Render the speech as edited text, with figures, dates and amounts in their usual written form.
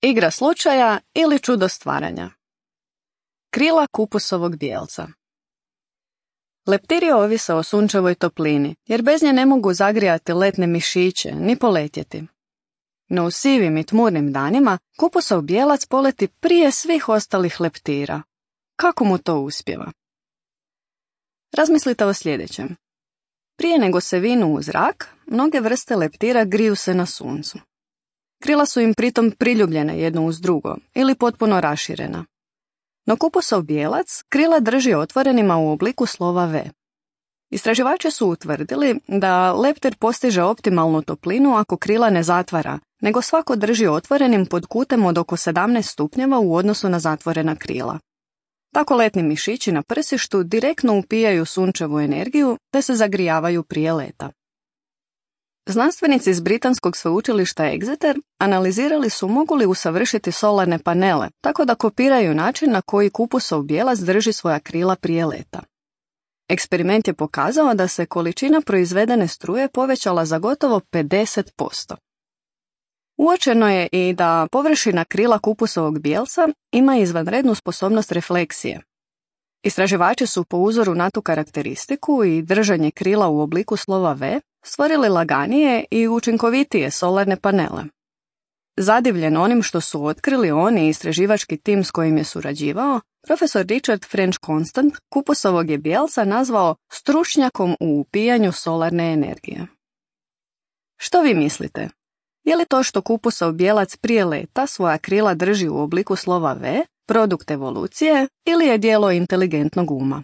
Igra slučaja ili čudo stvaranja. Krila kupusovog bijelca. Leptiri ovise o sunčevoj toplini, jer bez nje ne mogu zagrijati letne mišiće ni poletjeti. No u sivim i tmurnim danima kupusov bijelac poleti prije svih ostalih leptira. Kako mu to uspijeva? Razmislite o sljedećem. Prije nego se vinu u zrak, mnoge vrste leptira griju se na suncu. Krila su im pritom priljubljene jedno uz drugo ili potpuno raširena. No kupusov bijelac krila drži otvorenima u obliku slova V. Istraživači su utvrdili da leptir postiže optimalnu toplinu ako krila ne zatvara, nego svako drži otvorenim pod kutem od oko 17 stupnjeva u odnosu na zatvorena krila. Tako letni mišići na prsištu direktno upijaju sunčevu energiju te se zagrijavaju prije leta. Znanstvenici iz britanskog sveučilišta Exeter analizirali su mogu li usavršiti solarne panele, tako da kopiraju način na koji kupusov bijelac drži svoja krila prije leta. Eksperiment je pokazao da se količina proizvedene struje povećala za gotovo 50%. Uočeno je i da površina krila kupusovog bijelca ima izvanrednu sposobnost refleksije. Istraživači su po uzoru na tu karakteristiku i držanje krila u obliku slova V stvorili laganije i učinkovitije solarne panele. Zadivljen onim što su otkrili on i istraživački tim s kojim je surađivao, profesor Richard French Constant kupusovog je bijelca nazvao stručnjakom u upijanju solarne energije. Što vi mislite? Je li to što kupusov bijelac prije leta svoja krila drži u obliku slova V produkt evolucije ili je djelo inteligentnog uma?